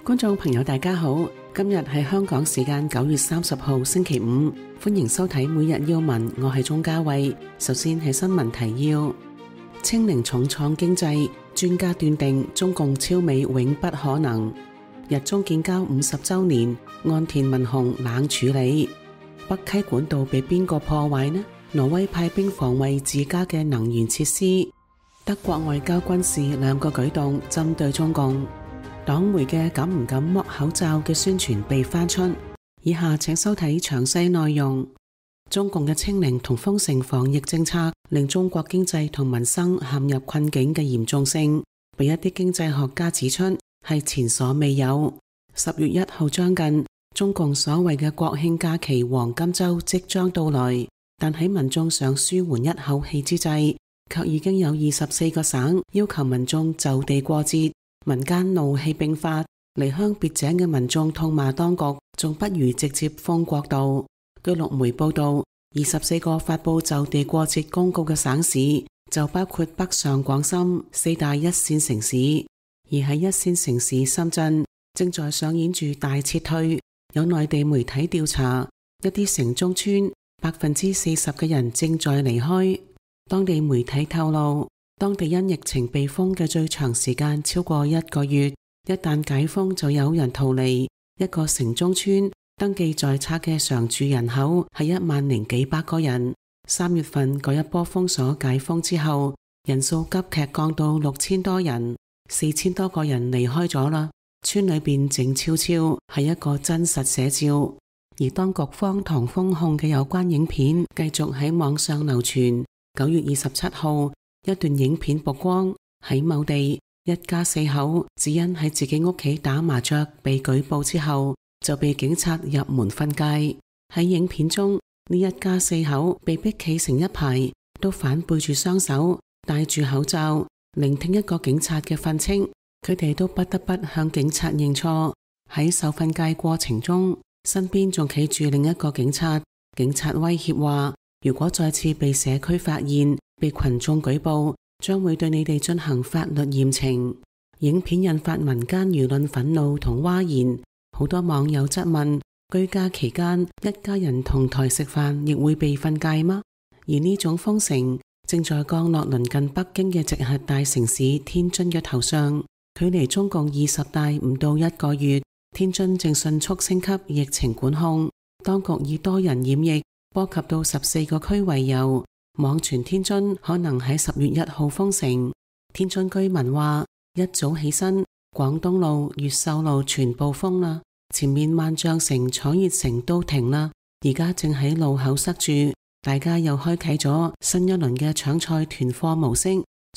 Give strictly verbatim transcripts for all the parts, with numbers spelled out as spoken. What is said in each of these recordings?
觀眾朋友大家好，今日係香港時間九月三十號星期五，歡迎收睇每日要聞，我係鍾嘉慧。首先係新聞提要：清零重創經濟，專家斷定中共超美永不可能。日中建交五十周年，岸田文雄冷處理。北溪管道被邊個破壞呢？挪威派兵防衛自家嘅能源設施。德國外交軍事兩個舉動針對中共。黨媒嘅敢唔敢剝口罩嘅宣傳被翻出。以下請收睇詳細內容。中共嘅清零同封城防疫政策令中國經濟同民生陷入困境嘅嚴重性，被一啲經濟學家指出係前所未有。十月一號將近，中共所謂嘅國慶假期黃金週即將到來，但喺民眾想舒緩一口氣之際，卻已經有二十四個省要求民眾就地過節。民間怒氣並發，離鄉別井嘅民眾痛罵當局，仲不如直接封國度。據陸媒報道，二十四個發佈就地過節公告嘅省市，就包括北上廣深四大一線城市。而喺一線城市深圳，正在上演住大撤退。有內地媒體調查，一啲城中村百分之四十嘅人正在離開。當地媒體透露，當地因疫情被封嘅最長時間超過一個月，一旦解封就有人逃離。一個城中村登記在冊嘅常住人口係一萬零幾百個人。三月份嗰一波封鎖解封之後，人數急劇降到六千多人，四千多個人離開咗啦。村裏邊靜悄悄，係一個真實寫照。而當局荒唐封控嘅有關影片繼續喺網上流傳。九月二十七號，一段影片曝光，喺某地一家四口只因喺自己屋企打麻雀被舉報之後，就被警察入門訓誡。喺影片中，呢一家四口被逼企成一排，都反背住雙手，戴住口罩，聆聽一個警察嘅訓斥。佢哋都不得不向警察認錯。喺受訓誡過程中，身邊仲企住另一個警察。警察威脅話，如果再次被社區發現，被群眾舉報，將會對你哋進行法律嚴懲。影片引發民間輿論憤怒同譁然。好多網友質問，居家期間一家人同台食飯亦會被訓誡嗎？而呢種封城正在降落鄰近北京嘅直轄大城市天津嘅頭上。距離中共二十大唔到一個月，天津正迅速升級疫情管控。當局以多人染疫波及到十四個區為由，網傳天津可能喺十月一號封城。天津居民話，一早起身，廣東路、越秀路全部封啦，前面萬象城、楚熱城都停啦，而家正喺路口塞住。大家又開啟咗新一輪嘅搶菜團貨模式，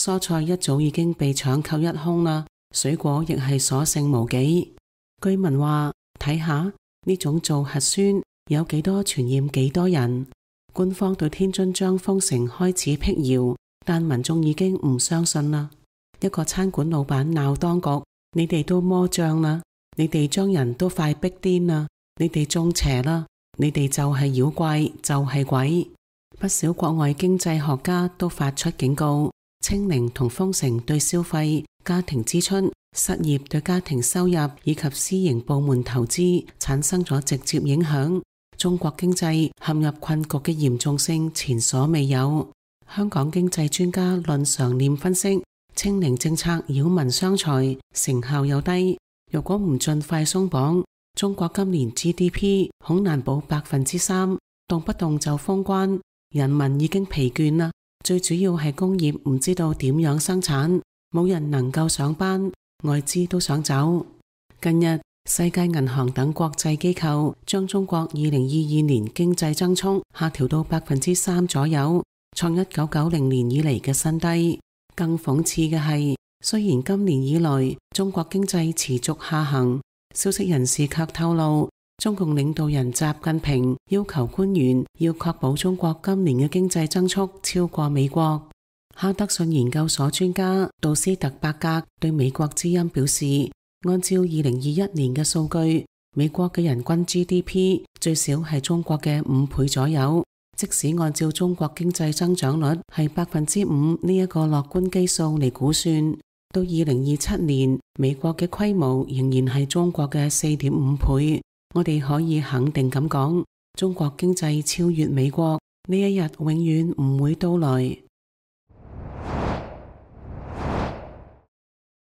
蔬菜一早已經被搶購一空啦。水果亦係所剩無幾。居民話，睇下呢種做核酸有幾多傳染幾多人。官方對天津將封城開始闢謠，但民眾已經唔相信啦。一個餐館老闆鬧當局，你哋都魔障啦，你哋將人都快逼癲啦，你哋中邪啦，你哋就係妖怪，就係鬼。不少國外經濟學家都發出警告，清零同封城對消費、家庭支出、失業對家庭收入以及私營部門投資產生咗直接影響。中國經濟陷入困局嘅嚴重性前所未有。香港經濟專家論常念分析，清零政策擾民傷財，成效又低。如果唔盡快鬆綁，中國今年 G D P 恐難保百分之三，動不動就封關，人民已經疲倦啦。最主要係工業唔知道點樣生產，冇人能夠上班，外資都想走。近日，世界銀行等國際機構將中國二零二二年經濟增速下調到百分之三左右，創一九九零年以嚟嘅新低。更諷刺嘅係，雖然今年以來中國經濟持續下行，消息人士卻透露，中共領導人習近平要求官員要確保中國今年嘅經濟增速超過美國。哈德遜研究所專家杜斯特伯格對美國之音表示，按照二零二一年嘅數據，美國嘅人均 G D P 最少係中國嘅五倍左右。即使按照中國經濟增長率係百分之五呢一個樂觀基數嚟估算，到二零二七年，美國嘅規模仍然係中國嘅四點五倍。我哋可以肯定咁講，中國經濟超越美國呢一日永遠唔會到來。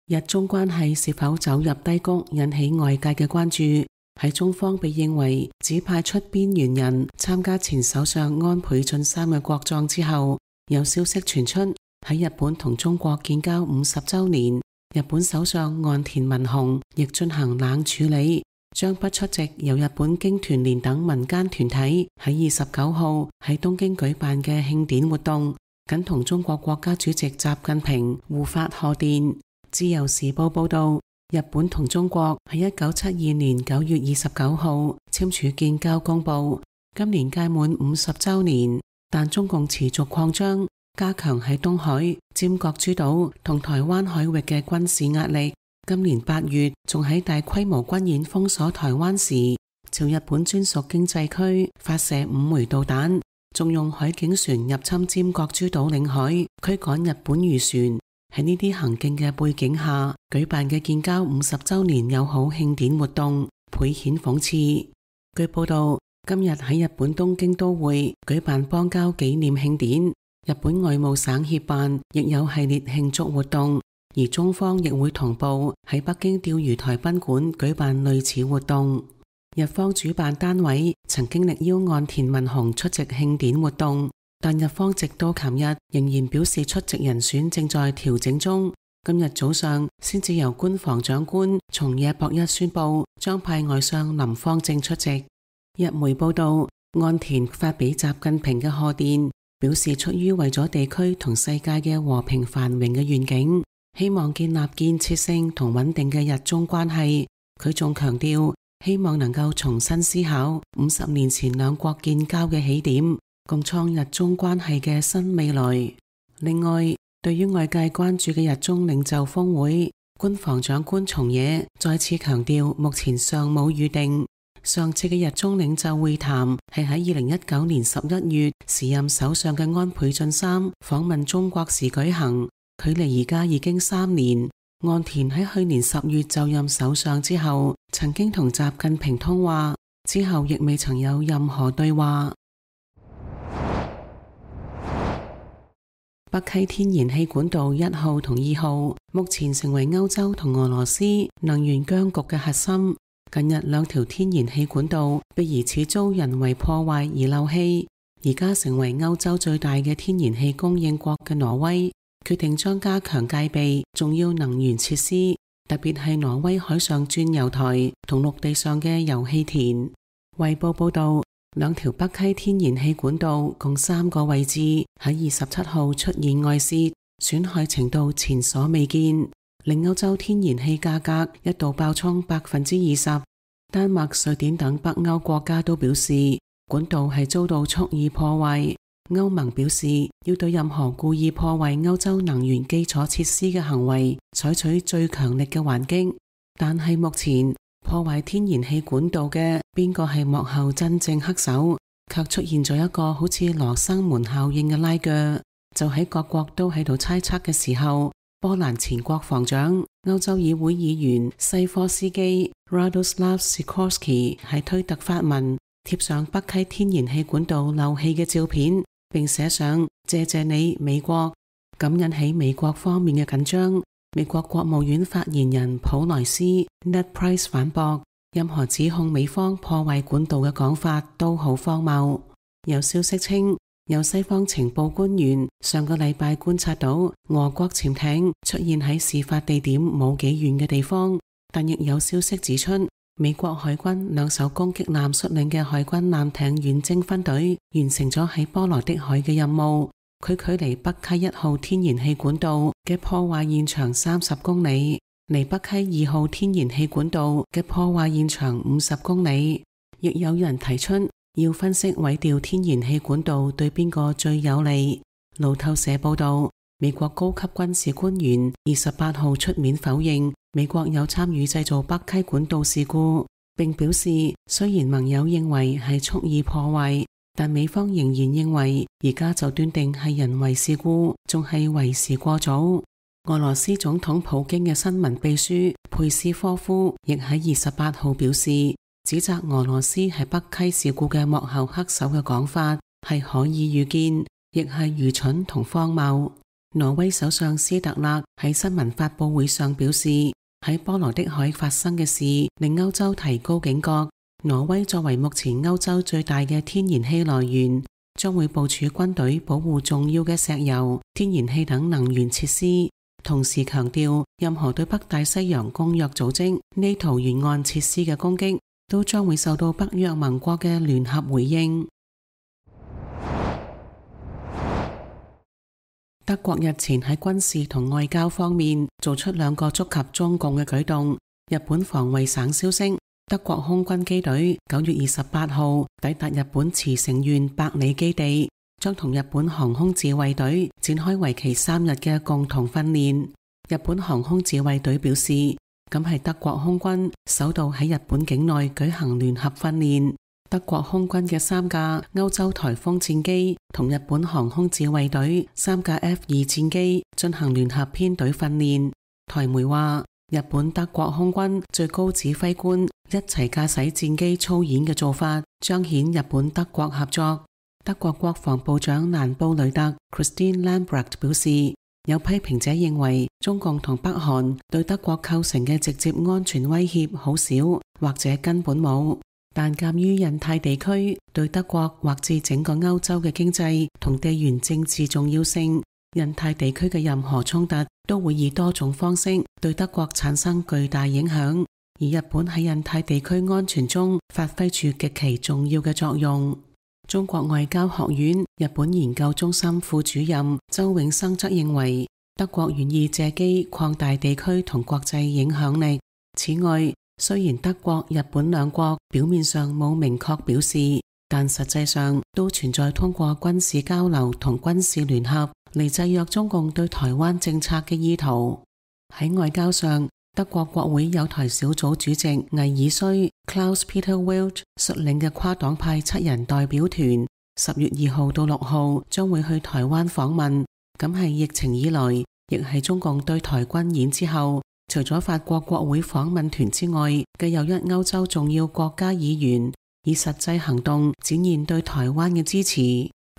日中關係是否走入低谷，引起外界嘅關注。喺中方被認為只派出邊緣人參加前首相安倍晉三嘅國葬之後，有消息傳出喺日本同中國建交五十週年，日本首相岸田文雄亦進行冷處理，將不出席由日本經團聯等民間團體喺二十九號喺東京舉辦嘅慶典活動，僅同中國國家主席習近平互發賀電。自由時報報道，日本同中國喺一九七二年九月二十九號簽署建交公報，今年屆滿五十週年，但中共持續擴張，加強喺東海、尖閣諸島同台灣海域嘅軍事壓力。今年八月仲喺大規模軍演封鎖台灣時，朝日本專屬經濟區發射五枚導彈，仲用海警船入侵尖閣諸島領海，驅趕日本漁船。喺呢啲行徑嘅背景下，舉辦嘅建交五十週年友好慶典活動，倍顯諷刺。據報道，今日喺日本東京都會舉辦邦交紀念慶典，日本外務省協辦亦有系列慶祝活動，而中方亦會同步喺北京釣魚台賓館舉辦類似活動。日方主辦單位曾經力邀岸田文雄出席慶典活動，但日方直到琴日仍然表示出席人選正在調整中。今日早上先至由官房長官松野博一宣布將派外相林芳正出席。日媒報道，岸田發俾習近平嘅賀電，表示出於為咗地區同世界嘅和平繁榮嘅願景，希望建立建設性同穩定嘅日中關係。佢仲強調，希望能夠重新思考五十年前兩國建交嘅起點，共創日中關係嘅新未來。另外，對於外界關注嘅日中領袖峰會，官房長官松野再次強調，目前尚冇預定。上次嘅日中領袖會談係喺二零一九年十一月時任首相嘅安倍晉三訪問中國時舉行，距離而家已經三年。岸田喺去年十月就任首相之後，曾經同習近平通話，之後亦未曾有任何對話。北溪天然氣管道一號同二號目前成為歐洲同俄羅斯能源僵局嘅核心。近日兩條天然氣管道被疑似遭人為破壞而漏氣，而家成為歐洲最大嘅天然氣供應國嘅挪威決定將加強戒備重要能源設施，特別係挪威海上鑽油台同陸地上嘅油氣田。衛報報道，兩條北溪天然氣管道共三個位置喺二十七號出現外洩，損害程度前所未見，令歐洲天然氣價格一度爆衝百分之二十。丹麥、瑞典等北歐國家都表示管道係遭到蓄意破壞。歐盟表示要對任何故意破壞歐洲能源基礎設施嘅行為採取最強力嘅還擊。但係目前破壞天然氣管道嘅邊個係幕後真正黑手，卻出現咗一個好似羅生門效應嘅拉鋸。就喺各國都喺度猜測嘅時候，波蘭前國防長、歐洲議會議員西科斯基 Radoslav Sikorski 喺推特發文貼上北溪天然氣管道漏氣嘅照片，並寫上謝謝你美國，咁引起美國方面嘅緊張。美國國務院發言人普萊斯 Ned Price 反駁，任何指控美方破壞管道嘅講法都好荒謬。有消息稱，有西方情報官員上個禮拜觀察到俄國潛艇出現喺事發地點冇幾遠嘅地方，但亦有消息指出，美國海軍兩艘攻擊艦率領嘅海軍艦艇遠征分隊完成咗喺波羅的海嘅任務。佢距離北溪一號天然氣管道嘅破壞現場三十公里，離北溪二號天然氣管道嘅破壞現場五十公里。亦有人提出要分析毀掉天然氣管道對邊個最有利。路透社報道，美國高級軍事官員二十八號出面否認美國有參與製造北溪管道事故，並表示雖然盟友認為係蓄意破壞，但美方仍然認為而家就斷定係人為事故，仲係為時過早。俄羅斯總統普京嘅新聞秘書佩斯科夫亦喺二十八號表示，指責俄羅斯係北溪事故嘅幕後黑手嘅講法係可以預見，亦係愚蠢同荒謬。挪威首相斯特勒喺新聞發佈會上表示，喺波羅的海發生嘅事令歐洲提高警覺。挪威作為目前歐洲最大嘅天然氣來源，將會部署軍隊保護重要嘅石油、天然氣等能源設施。同時強調，任何對北大西洋公約組織 NATO 沿岸設施嘅攻擊，都將會受到北約盟國嘅聯合回應。德國日前喺軍事同外交方面做出兩個觸及中共嘅舉動。日本防衛省消息，德國空軍機隊九月二十八號抵達日本茨城縣百里基地，將同日本航空自衛隊展開為期三日嘅共同訓練。日本航空自衛隊表示，咁係德國空軍首度喺日本境內舉行聯合訓練。德國空軍嘅三架歐洲颱風戰機同日本航空自衛隊三架 F 二戰機進行聯合編隊訓練。台媒話，日本德國空軍最高指揮官一齊駕駛戰機操演嘅做法，彰顯日本德國合作。德國國防部長蘭布雷特 Christine Lambrecht 表示，有批評者認為中共同北韓對德國構成嘅直接安全威脅好少，或者根本冇。但鑒於印太地區對德國或至整個歐洲嘅經濟同地緣政治重要性，印太地區嘅任何衝突都會以多種方式對德國產生巨大影響，而日本喺印太地區安全中發揮住極其重要嘅作用。中國外交學院日本研究中心副主任周永生則認為，德國願意借機擴大地區同國際影響力。此外，雖然德國、日本兩國表面上冇明確表示，但實際上都存在通過軍事交流同軍事聯合嚟制約中共對台灣政策嘅意圖。喺外交上，德國國會友台小組主席魏爾須 Klaus-Peter Welt 率領嘅跨黨派七人代表團，十月二號到六號將會去台灣訪問。咁係疫情以來，亦係中共對台軍演之後，除咗法國國會訪問團之外嘅又一歐洲重要國家議員以實際行動展現對台灣嘅支持。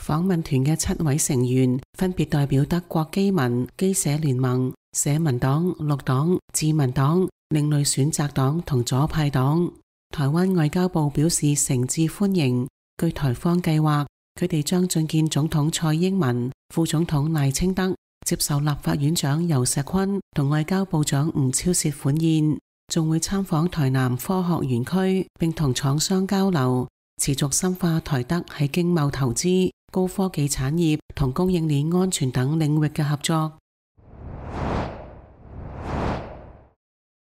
訪問團嘅七位成員分別代表德國基民、基社聯盟、社民黨、綠黨、自民黨、另類選擇黨同左派黨。台灣外交部表示誠摯歡迎。據台方計劃，佢哋將覲見總統蔡英文、副總統賴清德，接受立法院長游錫堃同外交部長吳釗燮款宴，仲會參訪台南科學園區，並同廠商交流，持續深化台德喺經貿投資、高科技產業同供應鏈安全等領域嘅合作。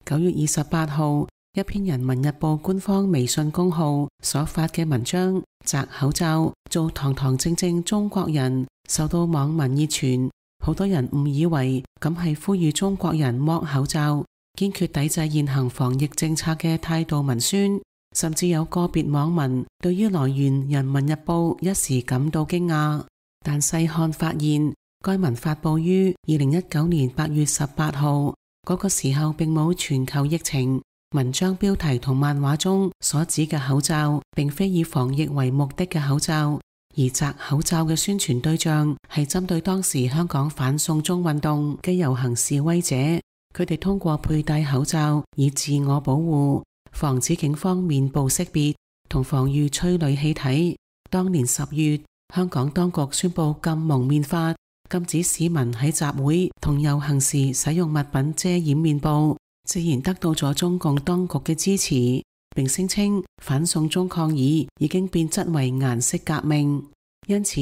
九月二十八號，一篇人民日報官方微信公號所發嘅文章，摘口罩做堂堂正正中國人，受到網民熱傳。好多人誤以為咁係呼籲中國人剝口罩，堅決抵制現行防疫政策嘅態度文宣，甚至有個別網民對於來源人民日報一時感到驚訝。但細看發現，該文發佈於二零一九年八月十八號，嗰個時候並冇全球疫情。文章標題同漫畫中所指嘅口罩，並非以防疫為目的嘅口罩。而摘口罩嘅宣傳對象係針對當時香港反送中運動嘅遊行示威者，佢哋通過佩戴口罩以自我保護，防止警方面部識別同防禦催淚氣體。當年十月，香港當局宣布禁蒙面法，禁止市民喺集會同遊行時使用物品遮掩面部，自然得到咗中共當局嘅支持，並聲稱反送中抗議已經變質為顏色革命。因此，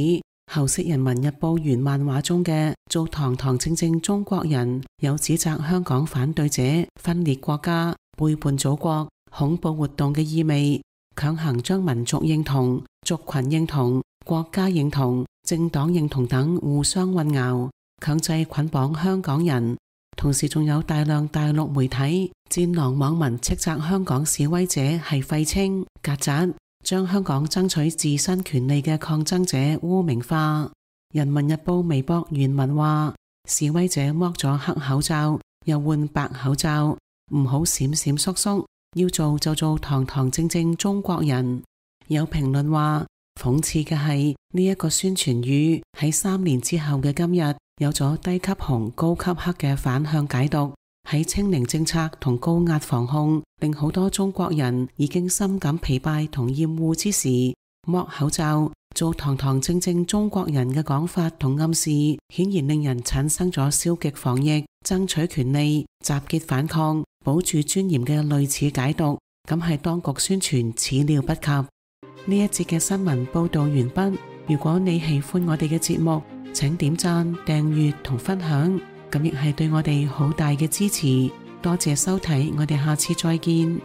後釋人民日報原漫畫中嘅做堂堂正正中國人，有指責香港反對者分裂國家、背叛祖國、恐怖活動嘅意味，強行將民族認同、族群認同、國家認同、政黨認同等互相混淆，強制捆綁香港人。同時仲有大量大陸媒體、戰狼網民斥責香港示威者係廢青、曱甴，將香港爭取自身權利嘅抗爭者污名化。人民日報微博原文話：示威者剝咗黑口罩，又換白口罩，唔好閃閃縮縮，要做就做堂堂正正中國人。有評論話，諷刺嘅係呢一個宣傳語喺三年之後嘅今日，有咗低級紅高級黑嘅反向解讀。喺清零政策同高壓防控令好多中國人已經深感疲憊同厭惡之時，剝口罩做堂堂正正中國人嘅講法同暗示，顯然令人產生咗消極防疫、爭取權利、集結反抗、保住尊嚴嘅類似解讀，咁係當局宣傳始料不及。呢一節嘅新聞報道完畢。如果你喜歡我哋嘅節目，請點讚、訂閱同分享，咁亦係對我哋好大嘅支持。多謝收睇，我哋下次再見。